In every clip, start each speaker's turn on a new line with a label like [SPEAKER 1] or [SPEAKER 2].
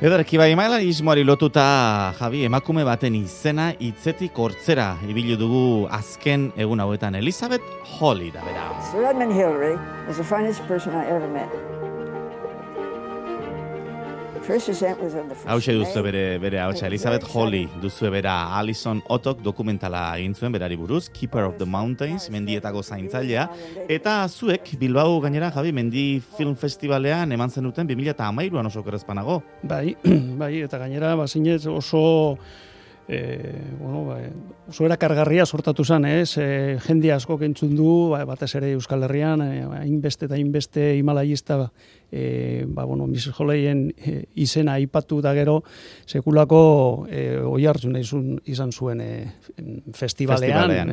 [SPEAKER 1] Ederki bai, mailanismoari lotuta, Javi, emakume baten izena hitzetik hortzera ibili dugu azken egun hauetan. Elizabeth Hawley da bera.
[SPEAKER 2] Sir Edmund Hillary was the finest person I ever met.
[SPEAKER 1] Hauxe duzu bere hautsa, Elizabeth Hawley duzu bera. Alison Otok dokumentala egin zuen berari buruz, Keeper of the Mountains, mendietako zaintzailea. Eta zuek, Bilbao gainera, Javi, Mendi Film Festivalean eman zenuten 2013an oso kerrezpanago.
[SPEAKER 3] Bai, eta gainera, bazinez oso... oso erakargarria sortatu zen, jende asko kentzun du, batez ere Euskal Herrian, hainbeste eta hainbeste himalayista, Mrs. Hawleyen izena aipatu da gero, sekulako oihartzun izan zuen festivalean.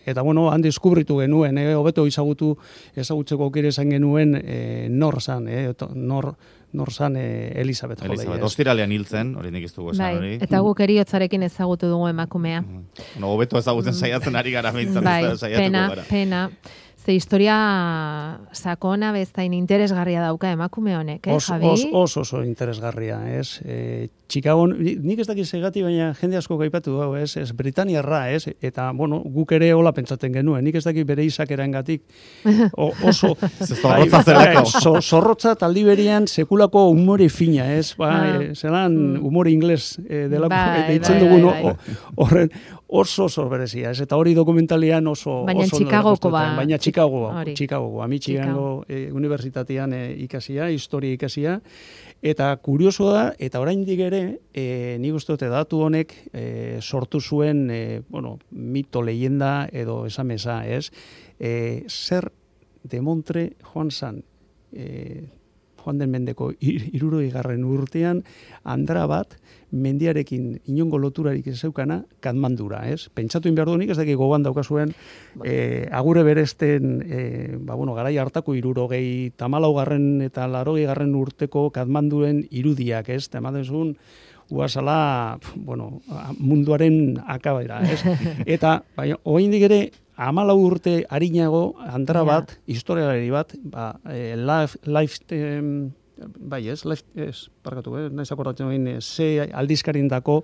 [SPEAKER 3] Eta han deskubritu genuen, hobeto ezagutzeko aukera izan genuen nor zan Elizabeth Hawley.
[SPEAKER 1] Ostiralean hiltzen, hori nik ez dugu esan hori.
[SPEAKER 4] Eta guk eriotzarekin ezagutu dugu emakumea.
[SPEAKER 1] Hobeto ezagutzen saiatzen ari gara behintzat.
[SPEAKER 4] Pena. Ze historia sakona beztain interesgarria dauka emakume honek, Javi?
[SPEAKER 3] Oso interesgarria, Chicago, nik ez dakit segati, baina jende asko gaipatu hau, Britaniarra, eta, guk ere hola pentsatzen genuen, nik ez dakit bere izakerangatik oso...
[SPEAKER 1] Zorrotza zelako.
[SPEAKER 3] Zorrotza taldi berian sekulako umore fina, zelan umore ingles delako, deitzen dugun horren, oso berezia, eta hori dokumentalian oso...
[SPEAKER 4] Baina Chicagoko ba.
[SPEAKER 3] Baina Chicago, Michigango unibertsitatean ikasia, historia ikasia, eta kurioso da, eta oraindik ere, nik uste dute datu honek sortu zuen, mito, leyenda edo esamesa, zer demontre joan zan, Joan den Mendeko 60. urtean, andra bat, mendiarekin inongo loturarik ez zeukana, Katmandura, Pentsatu behar duenik, ez dakik gogoan daukazuen, agure beresten, garai hartako 74. eta 80. urteko Katmanduren irudiak, Temadezun, uazala, munduaren akabaira, Eta, oraindik ere, 14 urte arinago, andra bat, historialari bat, naiz akordatzen egin, aldizkarindako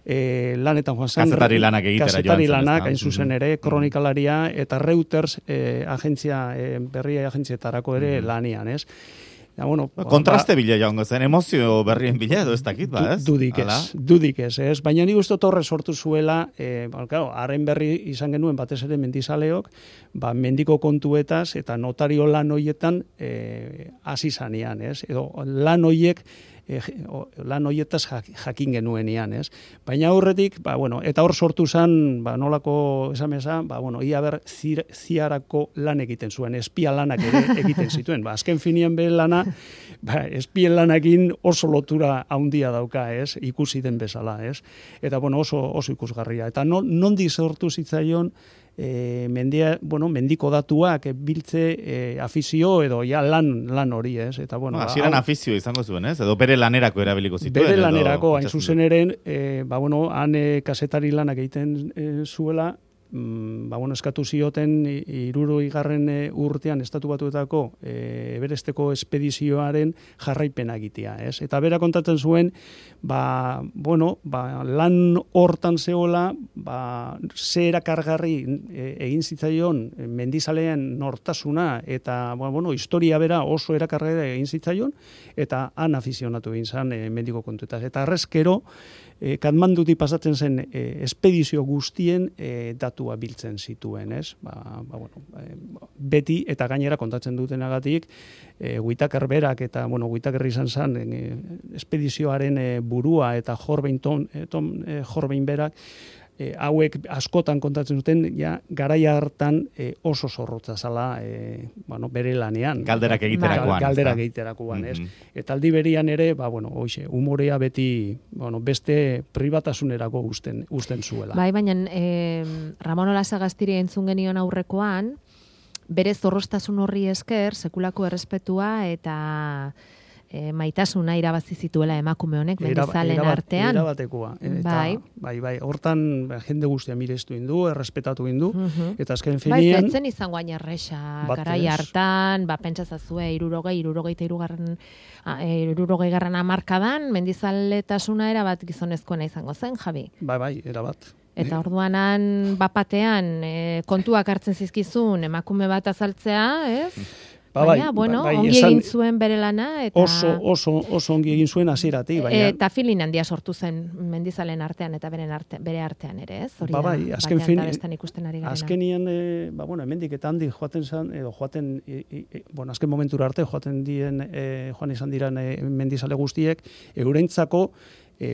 [SPEAKER 3] lanetan joan zen.
[SPEAKER 1] Kazetari lanak egitera joan zen.
[SPEAKER 3] Kazetari lanak, hain zuzen ere, kronikalaria, eta Reuters berria agentzietarako ere lanian,
[SPEAKER 1] kontraste bila joango zen, emozio berrien bila edo ez dakit,
[SPEAKER 3] Dudik ez. Baina nik uste torre sortu zuela, haren berri izan genuen batez ere mendizaleok, mendiko kontuetaz eta notario lan hoietan hasi zanean, edo lan hoiek lan hoietaz jakin genuenean, Baina aurretik, eta hor sortu zen, nolako esamesa, ia ber ziarako lan egiten zuen, espia lanak ere egiten zituen. Azken finean be lana, espien lanakin oso lotura handia dauka, ikusi den bezala, Eta, oso ikusgarria. Eta nondi sortu zitzaion, mendiko datuak biltze afizio edo lan hori, Eta
[SPEAKER 1] hasieran afizio izango zuen, edo bere lanerako erabiliko zituen.
[SPEAKER 3] Bere lanerako, hain zuzen eren, han kazetari lanak egiten zuela, eskatu zioten 60. urtean estatu batuetako Everesteko espedizioaren jarraipena egitea, Eta bera kontatzen zuen, lan hortan zeola, ze erakargarri egin zitzaion mendizalean nortasuna, eta, historia bera oso erakargarri egin zitzaion, eta han afizionatu egin zen mendiko kontuetaz. Eta arrezkero, Katmandutik pasatzen zen espedizio guztien datua biltzen zituen, beti eta gainera kontatzen dutenagatik Whittaker berak eta Whittaker izan zen espedizioaren burua eta Jorbein berak hauek askotan kontatzen duten garaia hartan oso zorrotza zala bere lanean.
[SPEAKER 1] Galderak
[SPEAKER 3] egiterakoan. Eta aldi berian ere, umorea beti beste pribatasunerako usten zuela.
[SPEAKER 4] Bai, baina Ramon Olasagastiri entzun genion aurrekoan, bere zorrostasun horri esker, sekulako errespetua eta maitasuna irabazi zituela emakume honek mendizalen artean.
[SPEAKER 3] Erabatekoa. Bai. Hortan jende guztia mirestu indu, errespetatu indu, eta azken finean...
[SPEAKER 4] Bai, zen izango hain erresa, garai hartan, pentsazazue, 60 hamarkadan, mendizaletasuna erabat gizonezkoena izango zen, Javi?
[SPEAKER 3] Bai, erabat.
[SPEAKER 4] Eta orduanan, bapatean, kontuak hartzen zizkizun, emakume bat azaltzea, ez? Baina, ongi egin zuen bere lana. Eta...
[SPEAKER 3] Oso ongi egin zuen hasieratik.
[SPEAKER 4] Eta filin handia sortu zen mendizalen artean eta bere artean ere, ez?
[SPEAKER 3] Bai, azkenian, hemendik eta handi joaten zen, azken momentura arte joan izan diran mendizale guztiek, eurentzako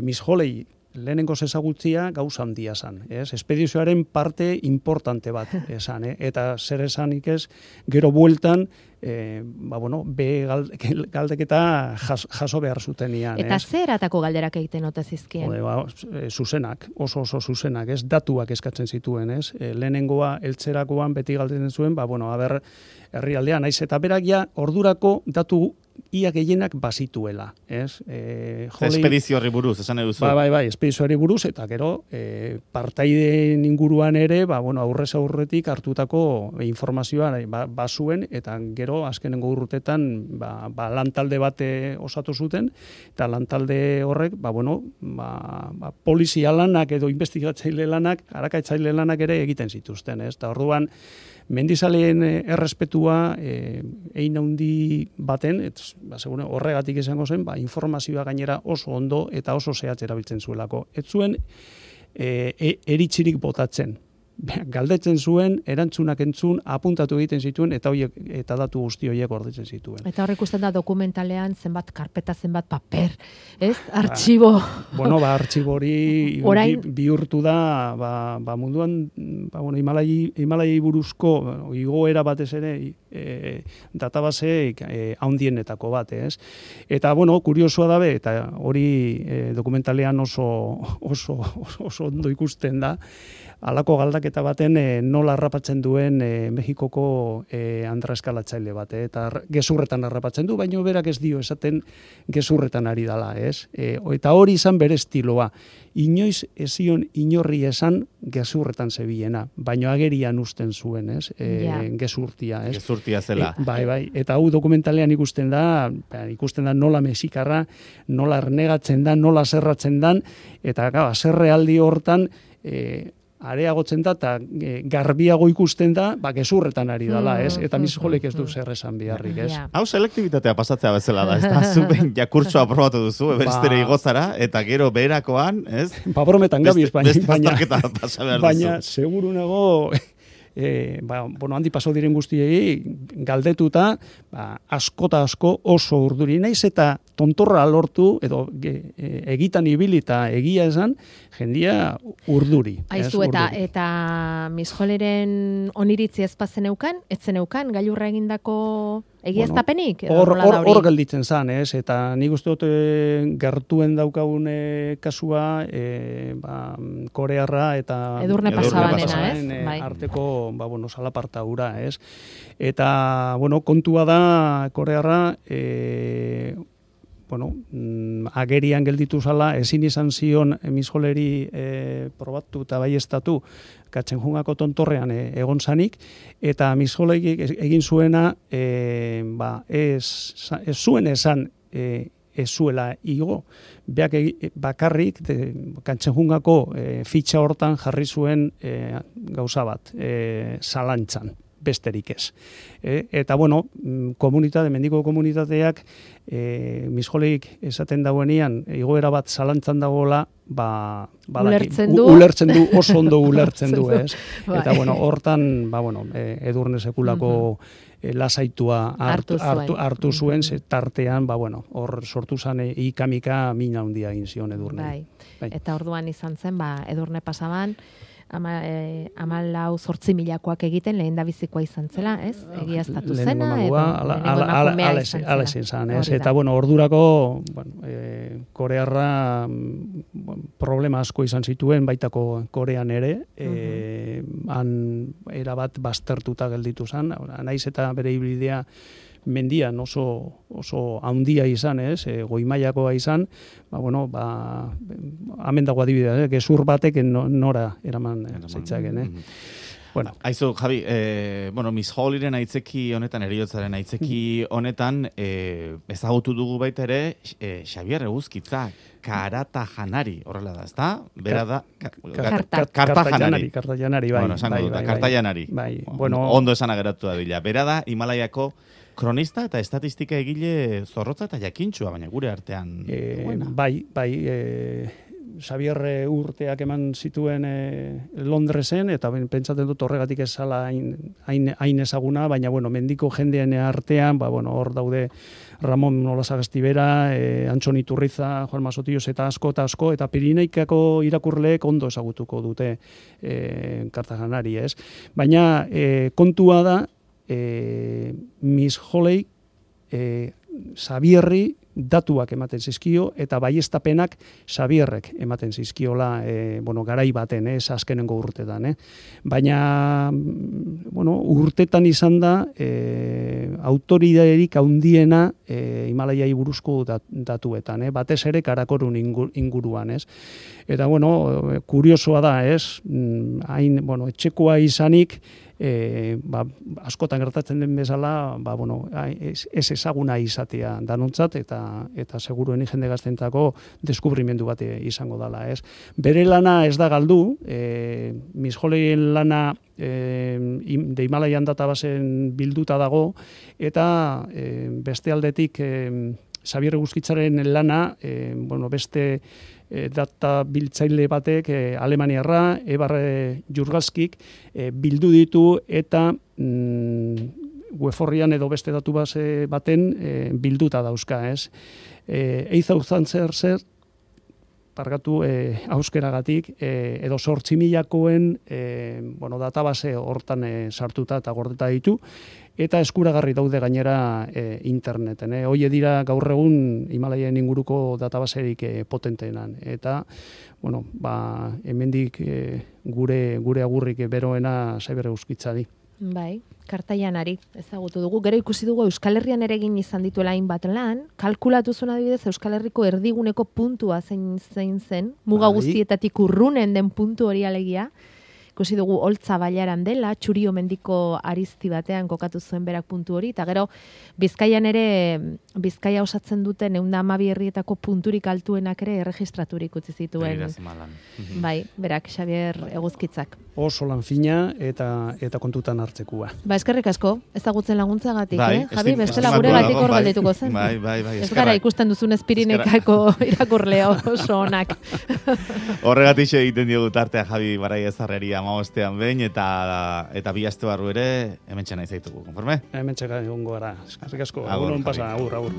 [SPEAKER 3] Miss Holley lehenengo ezagutzia gauza handia esan, ez? Espedizioaren parte importante bat esan, eta zer esanik ez, gero bueltan, galdeketa jaso behar zutenian.
[SPEAKER 4] Eta zer atako galderak egiten ote zizkien?
[SPEAKER 3] Zuzenak, oso zuzenak, ez? Datuak eskatzen zituen, ez? Lehenengoa, eltzerakoan beti galdetzen zuen, herrialdean, naiz eta berak ja ordurako datu ia gehienak bazituela, ez?
[SPEAKER 1] Espedizio horri buruz, esan eduzu.
[SPEAKER 3] Bai, espedizio horri buruz, eta gero, partaideen inguruan ere, aurrez aurretik hartutako informazioa bazuen, eta gero, azkenengo urtetan, lantalde bat osatu zuten, eta lantalde horrek, polizia lanak edo investigatzaile lanak, arakatzaile lanak ere egiten zituzten, ez? Eta orduan, mendizaleen errespetua ein handi baten, horregatik izango zen, informazioa gainera oso ondo eta oso zehatz erabiltzen zuelako. Ez zuen eritzirik botatzen. Galdetzen zuen, erantzunak entzun, apuntatu egiten zituen, eta datu guzti horiek gordetzen zituen.
[SPEAKER 4] Eta horrek ikusten da dokumentalean zenbat karpeta, zenbat paper, ez? Artxibo.
[SPEAKER 3] Artxibo hori bihurtu da, munduan, Himalai buruzko igoera batez ere, database handienetako bat, ez? Eta, kuriosoa dabe, eta hori dokumentalean oso ondo ikusten da, halako galdaketa baten nola harrapatzen duen Mexikoko Andra eskalatzaile bat, eta gezurretan harrapatzen du, baina berak ez dio esaten gezurretan ari dala, ez? Eta hori izan bere estiloa. Inoiz ezion inorri esan gezurretan zebiena, baina agerian usten zuen, ez? Gezurtia, ez?
[SPEAKER 1] Gezurtia zela.
[SPEAKER 3] Bai, eta hau dokumentalean ikusten da nola mexikarra, nola ernegatzen da, nola zerratzen dan, eta zerrealdi hortan areagotzen da, eta garbiago ikusten da, gezurretan ari dala, ez? Eta Miss Holleyk ez du zer esan biharrik, ez?
[SPEAKER 1] Hau selektibitatea pasatzea bezala da, ez da? Zuben jakurtsoa aprobatu duzu, eberestere igozara, eta gero beherakoan, ez?
[SPEAKER 3] Brometan gabiz,
[SPEAKER 1] baina
[SPEAKER 3] seguru nago... handi paso diren guztiei galdetuta, asko oso urduri naiz, eta tontorra lortu, edo egitan ibilita egia esan, jendia urduri.
[SPEAKER 4] Aizu, eta Miss Holleyren oniritzi ezpazen eukan, etzen eukan, gailurra egindako egiaztapenik?
[SPEAKER 3] Hor gelditzen zan, ez? Eta nik uste dut gertuen daukagun kasua, korearra eta...
[SPEAKER 4] Edurne pasabanena, ez?
[SPEAKER 3] Arteko, salaparta hura, ez? Eta, kontua da, korearra, agerian gelditu zala, ezin izan zion Miss Holleyri probatu eta baiestatu Katzenjungako tontorrean egon zanik, eta Miss Holley egin zuena, ez zuen esan ez zuela igo, beak bakarrik Katzenjungako fitxa hortan jarri zuen gauza bat, zalantzan. Besterik ez. Eta, mendiko komunitateak Miss Holleyk esaten dauenean, igoera bat zalantzan dagoela, ulertzen du, oso ondo ulertzen du, ez? Eta, hortan, Edurne sekulako lasaitua hartu zuen, tartean, hor sortu zen ikamika mina handia egin zion Edurne.
[SPEAKER 4] Eta orduan izan zen, Edurne pasaban, 14,000 egiten lehen da bizikoa izan zela, ez? Egiaztatu zena, edo emakumea izan zela.
[SPEAKER 3] Eta, ordurako, korearra problema asko izan zituen, baitako Korean ere, han erabat baztertuta gelditu zen, naiz eta bere ibilbidea mendian oso handia izan, ez, goimailakoa izan, hemen dago adibidea, gezur batek nora eraman zaitzaken, Bueno.
[SPEAKER 1] Aizu, Javi, Miss Hollyren aitzeki honetan, eriotzaren aitzeki honetan, ezagutu dugu baita ere, Xabier Eguzkitza, Karata Janari, horrela da, ezta? Bera da, Karta Janari.
[SPEAKER 3] Karta Janari, bai.
[SPEAKER 1] Bueno, esango dut, Karta Janari.
[SPEAKER 3] Bai,
[SPEAKER 1] ondo esan ageratu da bila. Bera da, Himalaiako kronista eta estatistika egile zorrotza eta jakintxua, baina gure artean.
[SPEAKER 3] Bai, Xabier urteak eman zituen Londresen, eta pentsatzen dut horregatik ez zala hain ezaguna, baina mendiko jendean artean, hor daude Ramon Olasagastibera, Antxon Iturriza, Juan Masotillos eta asko, eta Pirineikako irakurleek ondo ezagutuko dute Kartajanari, ez? Baina kontua da, Miss Holley Xabierri datuak ematen zizkio, eta baiestapenak Xabierrek ematen zizkiola, garai baten, azkenengo urtetan. Baina, urtetan izan da, autoridaderik haundiena Himalaiai buruzko datuetan, batez ere Karakorun inguruan, ez? Eta, kuriosoa da, ez? Etxekoa izanik, askotan gertatzen den bezala, ez ezaguna izatea danontzat, eta seguruen jende gaztentako deskubrimendu bat izango dela, ez? Bere lana ez da galdu, Miss Holleyen lana de Himalaian databasen bilduta dago, eta beste aldetik Xabier Eguzkitzaren lana, beste data biltzaile batek, Alemaniarra, Ebar Jurgalskik, bildu ditu eta weforrian edo beste datu base baten bilduta dauzka, ez? 8,000 zer, pargatu auskeragatik, edo 8,000-koen database hortan sartuta eta gordeta ditu, eta eskuragarri daude gainera interneten. Hoie dira gaur egun Himalaien inguruko databaserik potenteenan. Eta, hemendik gure agurrik beroena Xabier Eguzkitzari.
[SPEAKER 4] Bai, Karta Janari ezagutu dugu. Gero ikusi dugu Euskal Herrian ere egin izan dituela hainbat lan. Kalkulatu zuen adibidez Euskal Herriko erdiguneko puntua zein zen, muga guztietatik urrunen den puntu hori alegia. Ikusi dugu Oltza Bailaran dela, Txurio mendiko arizti batean kokatu zuen berak puntu hori, eta gero Bizkaian ere, Bizkaia osatzen duten 112 herrietako punturik altuenak ere erregistraturik utzi zituen. Bai, berak Xabier Eguzkitzak.
[SPEAKER 3] Oso lan fina eta kontutan hartzekua.
[SPEAKER 4] Eskerrik asko, ezagutzen laguntzagatik, Javi, bestela gure gatik hor galdetuko zen.
[SPEAKER 1] Bai.
[SPEAKER 4] Ez gara ikusten duzun Pirinekako irakurle oso onak.
[SPEAKER 1] Horregatik egiten diogu tartea Javi Barai Ezarreri 15ean behin, eta bi aste barru ere hementxe nahi zaitugu, konforme?
[SPEAKER 3] Hementxe egongo gara. Eskerrik asko. Agur,